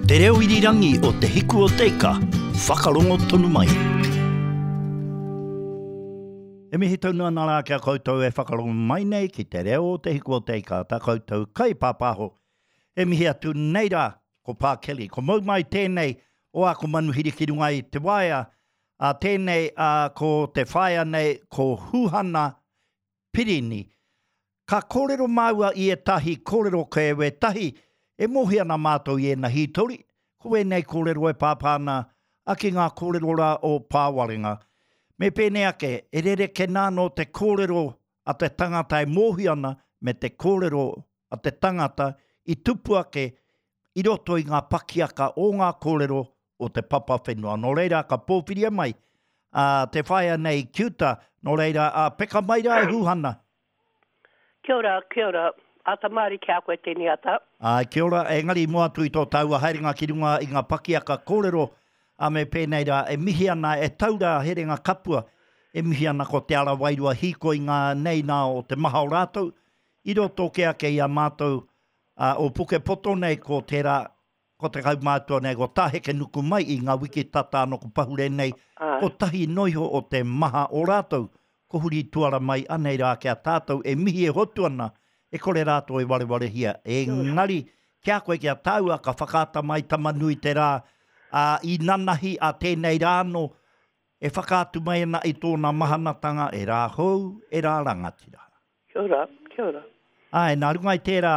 Te reo irirangi o Te Hiku o Te Ika, whakarongo tonu mai. E mihi tonu ana rā ki a koutou e whakarongo mai nei ki te reo o Te Hiku o Te Ika, tā koutou kaipāpāho. E mihi atu nei rā, ko Pā Kelly. Ko mau mai tēnei o āku manuhiri ki runga i te waea, ā tēnei, ā, ko te whaea nei, ko Huhana Pirini. Ka kōrero māua i ētahi kōrero kē wētahi e mōhio ana mātou i ēna hītori, ko wēnei kōrero e pāpā ana a ki ngā kōrero rā o Pāwarenga. Me pēnei ake, e rerekē nā anō te kōrero a te tangata e mōhio ana me te kōrero a te tangata i tupu ake i roto i ngā pakiaka o ngā kōrero o te papa whenua. Nō reira, ka pōwhiria mai a te whaea nei ki uta, nō reira, a peka mai rā e Huhana. Kia ora, kia ora. Ata māri ki a koe tēnei ata. Āe, kia ora. Engari i mua atu i tō tāua haerenga ki runga i ngā pakiaka kōrero, a me pēnei rā, e mihi ana, e tau rā herenga kapua, e mihi ana ko te ara wairua hīkoi ngā nei nā o te maha o rātou, i roto kē ake i a mātou, ā, o Pukepoto nei ko tērā, Ko te kaumātua nei, ko Tā Hekenuku mai i ngā wiki tata anō ko pahure nei, kotahi noiho o te maha o rātou, ko huri tuara mai anei rā ki a tātou e mihi e hotu ana, e kore rātou e warewarehia. Engari, ki a koe, ki a tāua, ka whakaata mai Tamanui te rā, ā, i nanahi a tēnei rā anō, e whakaatu mai ana i tōna mahanatanga e rā hou, e rā rangatira. Kia ora, kia ora. Āe, nā runga i tērā,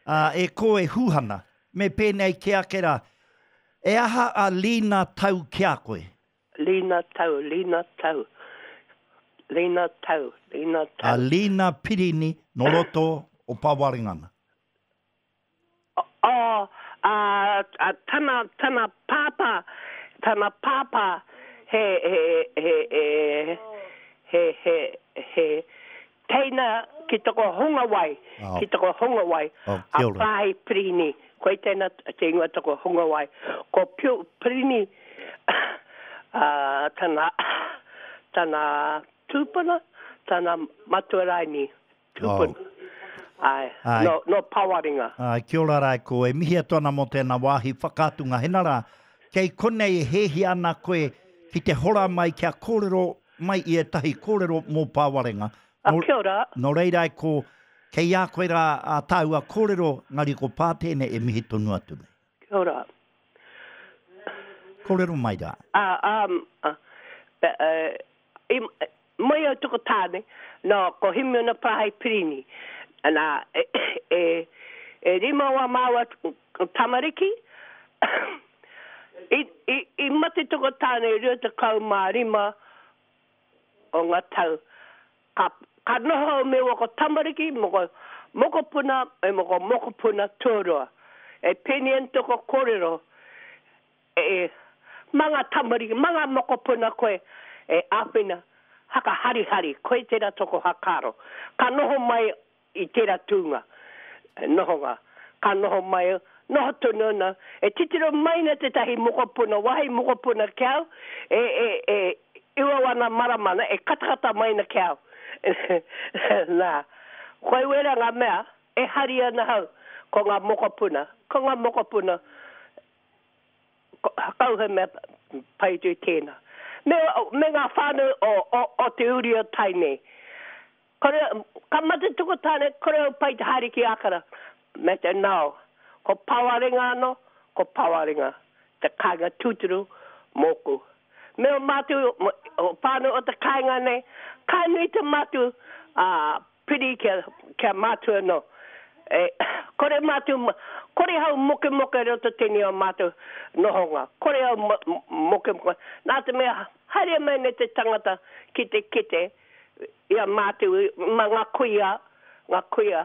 ā, e kō e Huhana, me pēnei kē ake rā, E aha a Lina Tau ki a koe? Lina Tau, Lina Tau, Lina Tau, Lina Tau. A Lina Pirini nō roto o Pawaringana. Oh, ā, ā, tana, tana pāpā, tana pāpā, he, he, he, he, he, he, he teina ki toko hungawai, ki toko hungawai, a Pāhi Pirini, koe tēnā te ingoa toko hungawai. Ko Piu Pirini, ā, tana, tana tūpuna, tana matua raini. Tūpuna. Oh. Āe, Āe. No, no Pawaringa. Āe, kia ora rā e kō, e mihi atu ana mō tēnā wāhi whakaatunga. Hena rā, kei konei e hēhia ana koe ki te hora mai kia kōrero mai i ētahi kōrero mō Pawarenga. A, kia ora. Nō reira e kō, kei a koe rā ā tāua kōrero, engari ko Pā tēnei e mihi tonu atu nei. Kia ora. Kōrero mai rā. Ā, ā, i, Mai au toko tāne, nā, ko Himiona Parahai Pirini. Nā, e, e, e rima wā māua tamariki, i, i, i mate toko tāne 25 o ngā tau. Ka, ka noho au me wako tamariki, moko, mokopuna, e moko mokopuna tuarua. E pēnei ana toko kōrero, E, mā ngā tamariki, mā ngā mokopuna koe e āwhina, haka harihari, koe tērā toko hakaaro. Ka noho mai i tērā tūnga, nohonga, ka noho mai, noho tonu ana, e titiro mai ana tētahi mokopuna, wāhi mokopuna ki au, e, e, e, iwa wana marama ana, e katakata mai ana ki au. Nā, koe wērā ngā mea, e hari ana hau, ko ngā mokopuna, ko ngā mokopuna, Kau he mea pai atu i tēnā. Me, me ngā whānau o, o, o te uri o Tainui. Kore, ka mate tuku tāne, kore au pai te haere ki Ākara. Me te nao. Ko Pawarenga anō, ko Pawarenga, te kāinga tūturu mōku. Me o mātou, o whānau o te kāinga nei, ka nui te mātou, ā, Piri kia, kia mātua anō. E, kore mātou, kore hau mokemoke roto tēnei o mātou nohonga. Kore au mokemoke. Nā te mea, haere mai nei te tangata ki te kite i a mātou, ma ngā kuia, ngā kuia.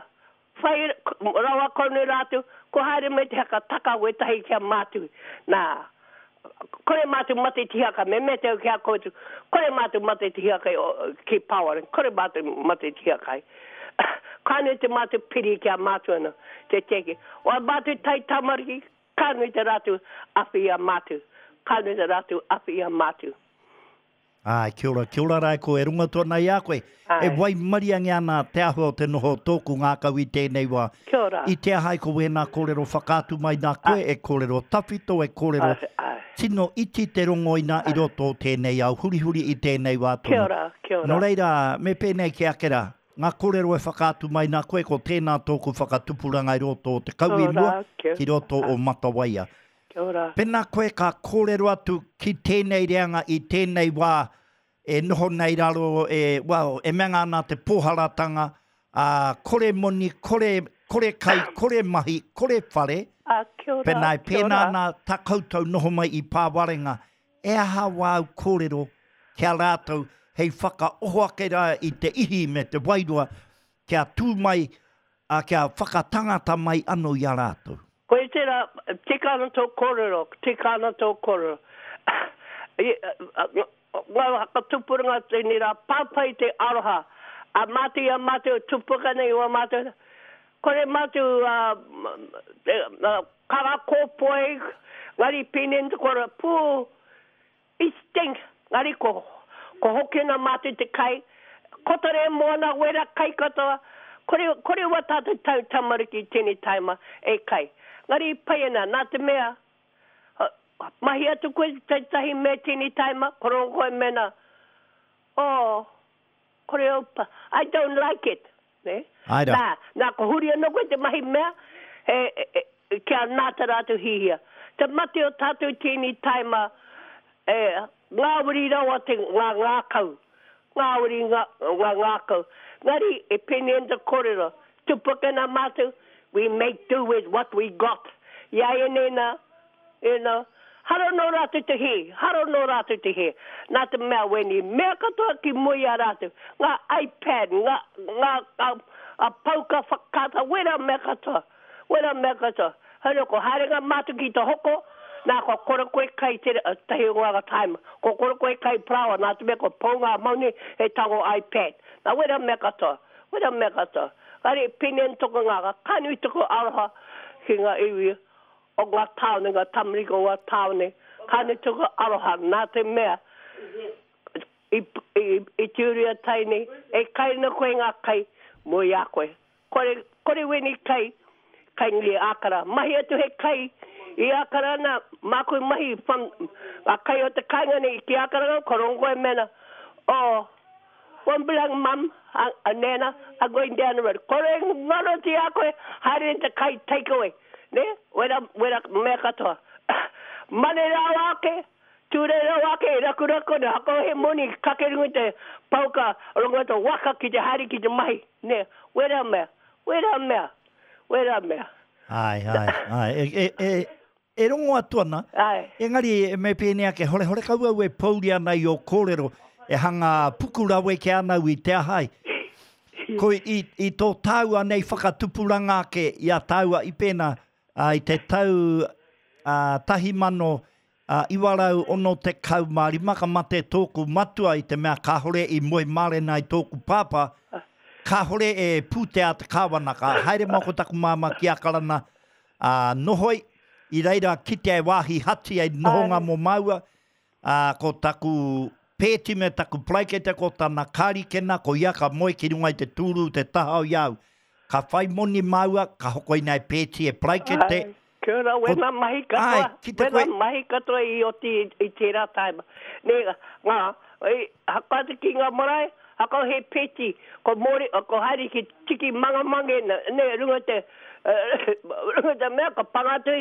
Whai rawa kau nei rātou, ko haere mai te haka taka wētahi ki a mātou. Nā, Kore mātou mate te hiakai, me mea te au ki a koutou, kore mātou mate te hiakai ki Pāwara, kore mātou mate te hiakai. Ka nui te mātou piri ki a mātou anō, te tiaki. O a mātou tai tamariki, ka nui te rātou awhi i a mātou, ka nui te rātou awhi i a mātou. Āe, kia ora, kia ora rā ko e rongo atu ana i a koe. E waimariangia ana te āhua o te noho o tōku ngākau i tēnei wā. Kia ora. I te aha ai ko wēnā kōrero whakaatu mai nā koe, e kōrero tawhito, e kōrero tino iti te rongo ina i roto o tēnei ao hurihuri i tēnei wā tonu. Kia ora, kia ora. Nō reira, me pēnei ki ake rā, ngā kōrero e whakaatu mai nā koe, ko tēnā tōku whakatupuranga i roto o Te Kauimua ki roto o Matawaia. Kia ora. Pēnā koe ka kōrero atu ki tēnei reanga i tēnei wā e noho nei raro e, well, e mea ana te pōharatanga, ā, kore moni, kore, kore kai, kore mahi, kore whare, Ā, kia ora, pēnā e kia pēnā ora. ana tā koutou noho mai i Pāwarenga, e aha wāu kōrero ki a rātou hei whakaoho ake rā i te ihi me te wairua kia tū mai, ā, kia whakatangata mai anō i a rātou? Koia tērā, tika ana tō kōrero, tika ana tō kōrero. Ngā whakatupuranga tēnei rā, pāpai te aroha. A mātou i a mātou e tupuka nei wā mātou, kore mātou karakōpoi, ngari pēnei te kore, pū, I stink, ngari ko, ko hoki ana mātou te kai, kotore moana wera kai katoa, kore, kore wa tātou tau tamariki i tēnei taima e kai. Ngari i pai ana, nā te mea, mahi atu koe tētahi mea i tēnei taima, ko rongo koe mena, oh, kore au pa, I don't like it. Nē? Āe rā. Nā, nā, ko huri anō koe te mahi mea, he, he, kia nā tā rātou hihia. Te mate o tātou tēnei taima, e, ngāwari rawa te, ngā ngākau. Ngāwari ngā, ngā ngākau. Ngari, e pēnei ana te kōrero, tupu ake nā mātou, we make do with what we got. I āianei nā, You know, hara nō rātou te hē, hara nō rātou te hē. Nā te mea wēnei mea katoa ki mua i a rātou, ngā iPad, ngā, ngā, ngā, ngā pouka whakaata, wērā mea katoa, wērā mea katoa. Hei ko haere ngā mātou ki te hoko, nā kua kore koe kai te tahi o ngā time, kua kore koe kai paraoa, nā te mea kua pau ngā mauni hei tango iPad. Nā wērā mea katoa, wērā mea katoa. Kāre, pēnei ana tōku ngākau, ka nui tōku aroha ki ngā iwi o ngā tāone, ngā tamariki o ngā tāone, kāne tuku aroha, nā te mea, i, i, i te uri a Tainui, e kai ana koe ngā kai mō i a koe. Kore, kore wēnei kai, kai ngi Ākara. Mahi atu he kai i Ākara ana, māku mahi from, ngā kai o te kāinga nei ki Ākara, ko rongo koe mena, oh, Won't be long mum, a nana, I'm going down the road. Kore ngaro ti a koe, haere te kai take away. Ne? Wera, wera mea katoa. Mane rawa ake, Tūrei rawa ake, rakuraku ana, hako he moni, kake runga i te pauka, rongo te waka ki te haere ki te mahi. Ne? Wera mea, wera mea, wera mea. Ae, ae, ae. E, e, e, E rongo atu ana, engari me pēnei ake, hore, horekau au e pōuri ana i ō kōrero, e hanga puku raweke ana au i te aha ai. Ko i, i tō tāua nei whakatupuranga ake i a tāua i pēnā, ā, i te tau, ā, 1965 ka mate tōku matua i te mea kāhore i moe mārena i tōku pāpā, kāhore e pūtea te kāwana, ka haere mai ko taku māmā ki Akarana, Ā, nohoi, i reira kitea e wāhi hati hei nohonga mō māua, ā, ko taku pēti me taku paraikete ko tana kārikena, ko ia ka moe ki runga i te tūru te taha o i a au. Ka whai moni māua, ka hokoina e pēti e paraikete. Āe, kia ora, wēnā mahi katoa, Āe, ki te koe. Wēnā mahi katoa i oti i tērā taima. Nē, ngā, i haka atu ki ngā marae, haka he pēti, ko Mōri, ko haere ki tiki mangamange, nē, runga te, runga te mea, ka panga atu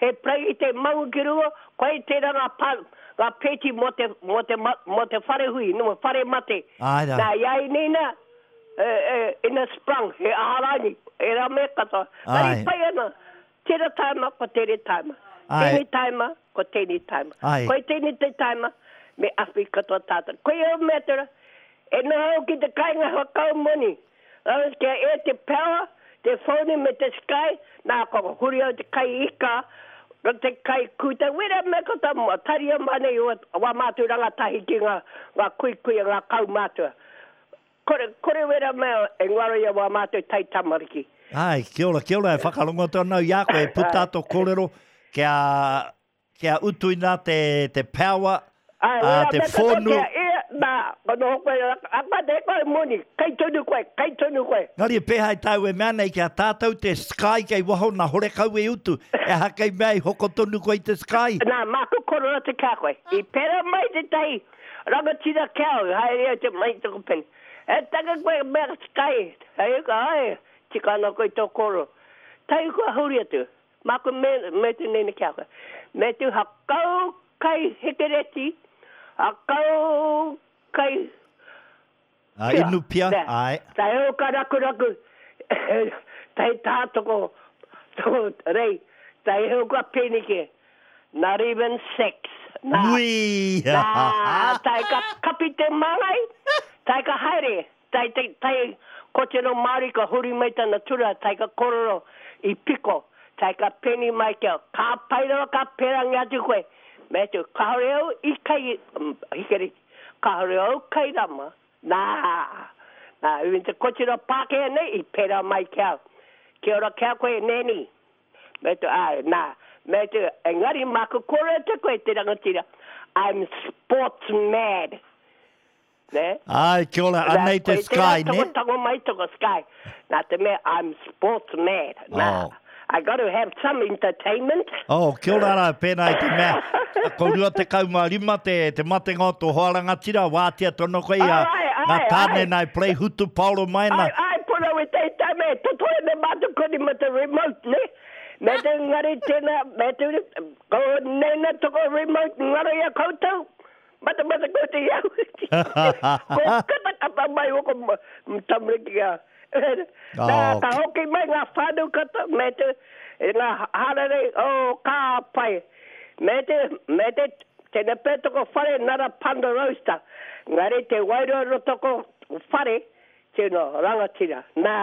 he paraikete mangu ki runga, koia tērā ngā pa, ngā pēti mō te, mō te, mō te whare hui, nō whare mate. Āe rā. Nā, i a nei nā, e, e, ina sprung, he aha rānei, ērā mea katoa. Āe. Engari pai ana, tērā taima, ko tērā taima. Āe. Tēnei taima, ko tēnei taima. Āe. Koia tēnei te taima, me awhi katoa tātou. Koia au mea tērā, e noho au ki te kāinga whakau moni, Rāua kia ea te power, te phone me te sky, nā ka huri au te kai ika, te kai kūtai, wera mea ko tā taria mai nei o wā mātou rangatahi ki ngā, ngā kuikuia, ngā kaumātua. Kore, kore wera mea e ngaro i a wā mātou taitamariki. Āe, kia ora, kia ora, e whakarongo atu ana au i a koe, e puta tō kōrero kia, Kia utuina te, te power, Āe, ā, wera te mea katoa whonu. kia ea, Ka noho koe, a mate koe moni, kai tonu koe, kai tonu koe. Engari e pēhea i tāu e mea nei ki a tātou te sky kei waho na horekau e utu, e aha kei mea i hoko tonu koe i te sky? Nā, māku korona te kia koe. I pērā mai tētahi rangatira ki au, haere au te mai taku pene. E taka koe mea sky, hei ka, ai, tika ana koe tō koro. Tahi kua huri atu. Māku me, me te nene ki a koe. Me te hakau kai hekereti, hakau kai A, pia. inu pia, Ne. ae. Tai o ka rakuraku, tai tā toko, toko rei, tai o ka penike, not even sex. Nā, Ui! nā, tai ka kapi te māngai, tai ka haere, Tai te tai kotero Māori ka huri mai tana tura tai ka korero i piko tai ka peni mai kia ka pai rawa ka perangi atu koe me atu kahore au i kai hikereti kahore au kai rama nā nā even te kotero Pākehā nei i pera mai ki au kia ora kia koe Nanny me atu āe nā me atu engari māku kore atu koe te rangatira I'm sports mad. Nē? Āe, kia ora, anei te sky, nē? Koe tērā tango mai toko sky. Nā te mea, I'm sports mad. Nā, oh. I got to have some entertainment. Oh, kia ora rā, pēnā i te mea, ko 25 te, te matenga o tō hoa rangatira, wātea tono koe i a ngā tāne nā e play hutu paoro mai na. Ai, ai, puna we te tame, totoe me mātou koni ma te remote, ne? Me te ngari tēnā, me te, ko nena toko remote ngaro ia koutou. Matamata koe te iau. Ko katakata mai o ko tamariki a. Nā, ka hoki mai ngā whānau katoa me te, ngā hararei, oh, ka pai. Me te, me te, tēnā pea toko whare nara Ponderosa. Ngari te wairua ro toko whare, tino rangatira. Nā,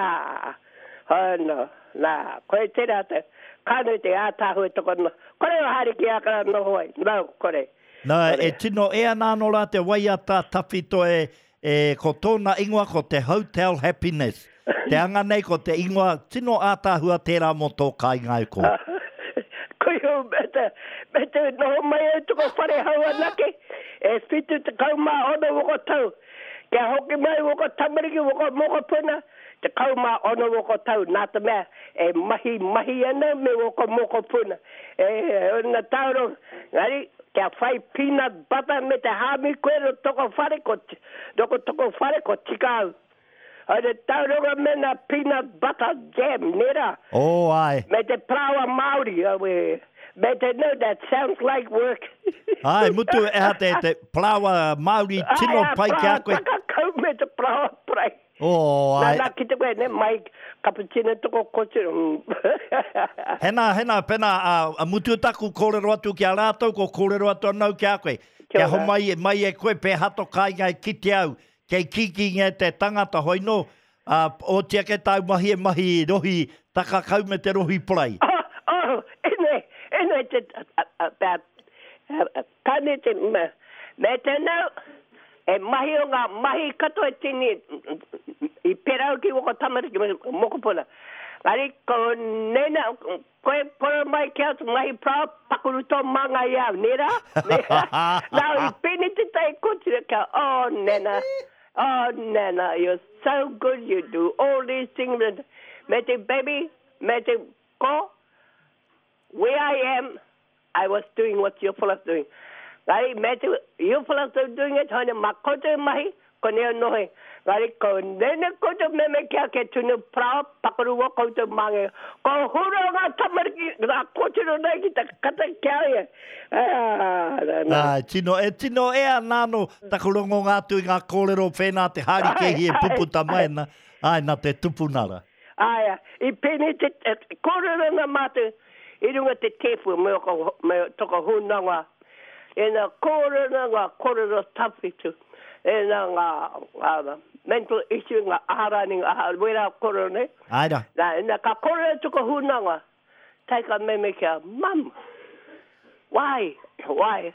oh no, nā, koe tērā te, ka nui te ātaahua toko, kore o haere ki Ākara noho ai, no, kore. Na, e tino e ana ano ra te waiata tawhito e, e, ko tōna ingoa ko te Hotel Happiness. Te anga nei ko te ingoa tino ātaahua tērā mō tō kāinga e kō. Koe au me te, me te noho mai au toko whare hau anake, e 76 woko tau. Kia hoki mai woko tamariki, woko mokopuna, 16 woko tau, nā te mea e mahi mahi ana me woko mokopuna. E, na tauro, ngari, kia whai peanut butter me te hāmi koe ro toko whare, ko, roko toko whare, ko tika au. Haere tauronga me na peanut butter jam, nē rā? Oh, ae. Me te parāoa Māori, aue. Me te no, that sounds like work. Ae, mutu, eha te, te parāoa Māori tino pai ki a koe. Ae, parāoa takakau me te parāoa parai. Oh, ae. Nā, nā, ki te koe, ne, mai cappuccino toko kotiro. Hena, hena, pena, a, mutu taku kōrero atu ki a rātou, ko kōrero atu anau ki a koe. Kia homai mai e koe, pēhā to kāinga e kite au, kei kīkīngia e te tangata, hoi nō, ā, oti ake tāu mahi e mahi rohi takakau me te rohi parai. Oh, oh, ene, ene te, a, a, tane te, me, me te nau, e mahi o ngā mahi katoa e tini, i pera au ki woko tamariki, mokopuna. Engari, ko nena, Koe kore mai ki atu mahi parao pakuru tō māngai i au, nē rā? Nē rā? Nā, i pēnei te tai kotira kia, oh Nana, oh Nana, you're so good, you do all these things. Me te baby, me te ko, where I am, I was doing what your fella's doing. Engari, me te, your fella's doing it, haere mā koutou e mahi, konei au noho e. Engari, ko nene koutou meme kia ke tunu parao, pakaru o koutou māngai. Ko hura ngā tamariki, ngā kōtiro nei ki te kata ki a ia. Ah, nā, nā. Āe, tino, e tino e ana anō taku rongonga atu i ngā kōrero whēnā te hārikēhi e puputa mai ana, āe, nā te tupuna rā. Āe, i pēnei te, kōrero ana mātou, I runga te tēpu me oko, me toko hunanga, ena kōrero ngā kōrero tawhito, ena ngā, ngā mental issue, ngā aha rānei, ngā aha, wērā kōrero nei. Āe rā. Nā, ena ka kōrero toko hunanga, tae ka meme kia, Mum, why, why,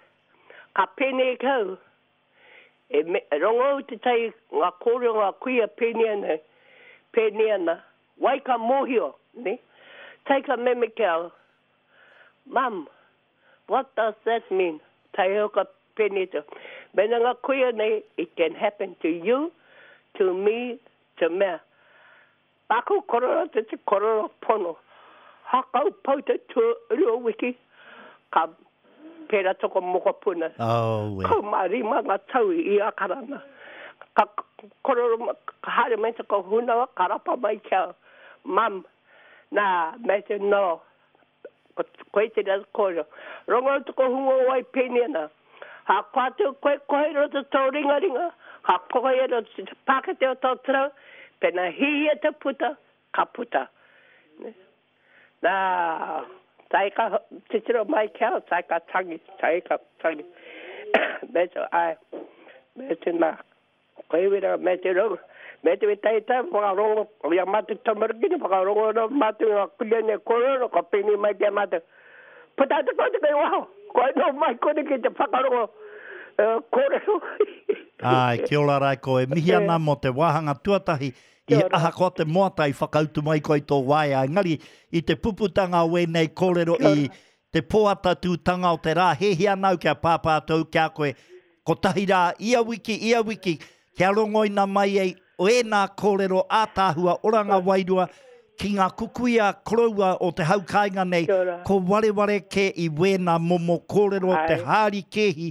ka pēnei kau, e me, rongo au te tai ngā kōrero ngā kuia pēnei ana, pēnei ana, Wai ka mōhio, ne? Take a meme ki au, Mum, what does that mean? Tae ka pēnei te. Mena ngā kuia nei, it can happen to you, to me, to mea. Paku korero te te korero pono. Hakau pau te tuarua wiki, ka pera toko mokopuna. Aue. 15 nga tau i Akarana. Ka korero, ka haere mai toko hunawa, ka rapa mai ki a Mum, na, me te no, koe te reo kōrero. Rongo toko hunga o wai pēnei ana. Ha koa atu koe kohe roto tō ringaringa, ha kohe roto te pākete o tō tarau, pena hihia te puta, ka puta. Nā, tae ka titiro mai ki au, tae ka tangi, tae ka tangi. Me te, ai, me te nā, Ko Ewera me te rau, me te wetaeta whakarongo i a mātou tamariki nei, whakarongo ana mātou i ngā kuia nei kōrero, ka pēnei mai ki a mātou, Puta atu koutou kei waho, kua noho mai konei ki te whakarongo kōrero. Āe, kia ora Raiko, e mihi ana mō te wāhanga tuatahi i ahakoa te moata i whakautu mai koe i tō waea, engari i te puputanga o ēnei kōrero i Te pōatatūtanga o te rā, hēhia ana au kia pāpā atu au ki a koe, kotahi rā, ia wiki, ia wiki, kia rongoina mai ai ēnā kōrero ātaahua oranga wairua ki ngā kukuia koroua o te hau kāinga nei, ko wareware kē i wēnā momo kōrero te hāri kēhi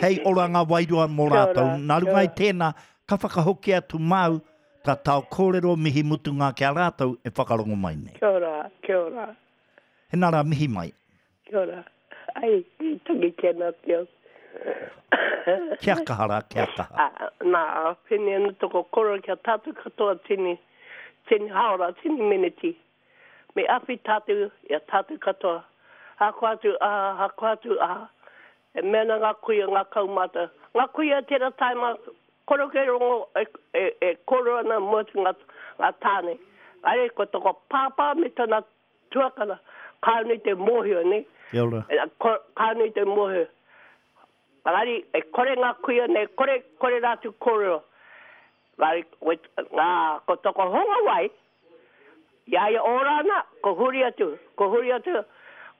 hei oranga wairua mō rātou. Nā runga i tēnā, ka whakahoki atu māu, ka tao kōrero mihi mutunga ki a rātou e whakarongo mai nei. Kia ora, kia ora. Hena ra mihi mai. Kia ora. Ai, i tangi tena ki au. Kia kaha ra, kia kaha. A, na, pene ana toko koro kia tatu katoa tini, tini haora, tini miniti. Me awhi tatu ia tatu katoa. Hako atu, a, hako atu, a. E mea ana nga kuia, nga kaumata. Nga kuia tera taima, koro ke rongo e, e, e koro ana mo atu nga, nga tane. Are, ko toko pāpā me tana Tuakana, kāore te mōhio, nē? Kia ora. Kāore te mōhio. Engari, e kore ngā kuia nei, kore, kore rātou kōrero. Engari, ngā, ko toko honga wai, i a ia ora ana, ko huri atu, ko huri atu,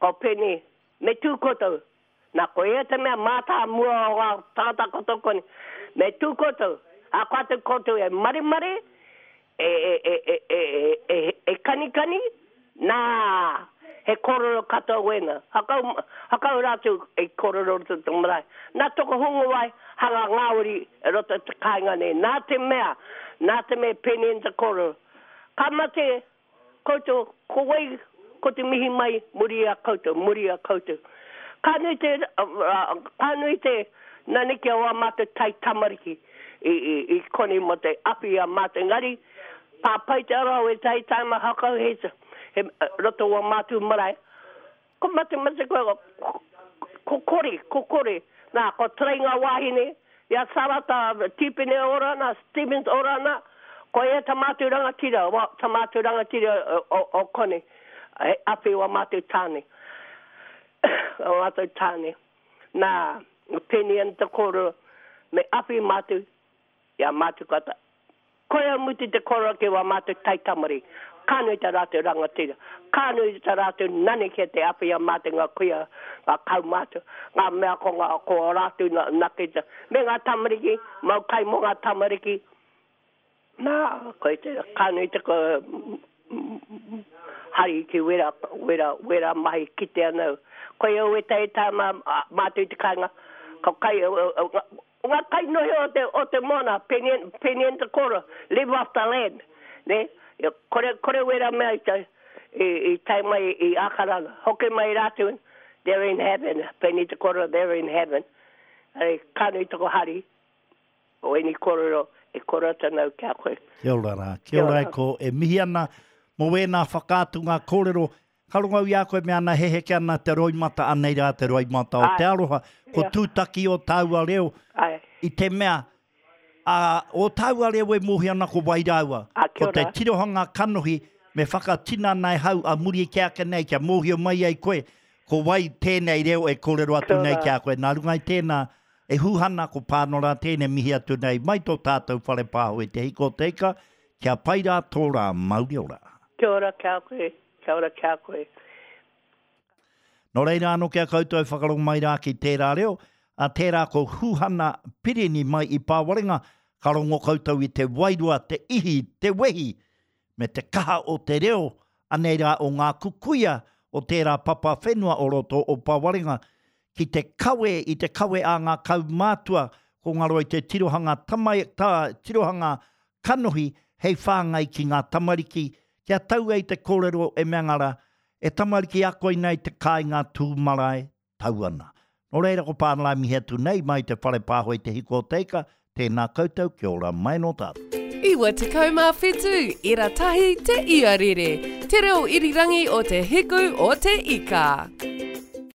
ko Penny, me tū koutou. Nā, ko ia te mea mātāmua o ngā tangata katoa konei. Me tū koutou, ahakoa atu koutou e maremare, e, e, e, e, e, e, e kanikani, nā, he kōrero katoa wēnā. Hakau, hakau rātou i kōrero roto i te marae. Nā toko hungawai, hanga ngāwari i roto i te kāinga nei. Nā te mea, nā te mea pēnei te kōrero. Ka mate Koutou, ko wai ko te mihi mai muri i a koutou, muri i a koutou. Ka nui te, ka nui te naneke o a mātou tai tamariki i, i, i konei mō te awhi i a mātou. Engari, pā pai te ara o ētahi taima hakau he, he roto o a mātou marae. Ko matemate koe, ko kore, ko kore. Nā, ko Trey ngā wāhine, i a Sarata Tīpene ora ana, Stevens ora ana, ko ia ta mātou rangatira, wa, ta mātou rangatira o, o, o konei, he awhi wa mātou tāne. Wa mātou tāne. Nā, pēnei ana te kōrero, me awhi mātou i a mātou kata. Koia mutu te koroa ki wā mātou taitamariki. Ka nui tā rātou rangatira. Ka nui tā rātou nani ki te awhi i a mātou ngā kuia, ngā kaumātua, ngā mea ko ngā, ko ō rātou nakita. Me ngā tamariki, mau kai mō ngā tamariki. Nā, koia te, ka nui te hari ki wera, wera, wera mahi kite ana au. Koia wētahi tāma mātou i te kāinga, ka kai, Nga kainohi o te, o te moana, penien, penien te koro, live off the land, ne? Kore, kore wera mea i te, i, i tae mai i Akarana. Hoki mai ratou, they're in heaven, peni te koro, they're in heaven. Ari, ka nui toko hari, o eni korero e koro atu ana au ki a koe. Kia ora ra, kia ora e ko, e mihi ana mo wēnā whakaatunga kōrero Ka rongo au i a koe me ana he heke ana te roimata, anei rā te roimata o te aroha, ko tūtaki o tāua reo i te mea, ā, ō tāua reo e mōhio ana ko wai rāua. Ko te tirohanga kanohi me whakatinana e hau a muri kē ake nei kia mōhio mai ai koe ko wai tēnei reo e kōrero atu nei ki a koe. Nā runga i tēnā, e Huhana, ko Pānora tēnei mihi atu nei mai tō tātou whare pāho i Te Hiko o Te Ika, kia pai rā tō rā mauri ora. Kia ora ki a koe. Kia ora ki a koe. Nō reira anō ki a koutou e whakarongo mai rā ki tērā reo, ā, A tērā ko Huhana Pirini mai i Pāwarenga, ka rongo koutou i te wairua, te ihi, te wehi, me te kaha o te reo, anei rā o ngā kukuia o tērā papa whenua o roto o Pāwarenga, ki te kawe i te kawe a ngā kaumātua, ko ngaro i te tirohanga tamai, ta, tirohanga kanohi hei whāngai ki ngā tamariki, kia tau ai te kōrero e mea ngara, E tamariki a koinei te kāinga tū marae, tau ana. Nō reira ko Pānara e mihi atu nei mai te whare pāho i Te Hiko o Te Ika, tēnā koutou, kia ora mai nō tātou. 97 ira tahi te iarere, te reo irirangi o Te Hiku o Te Ika.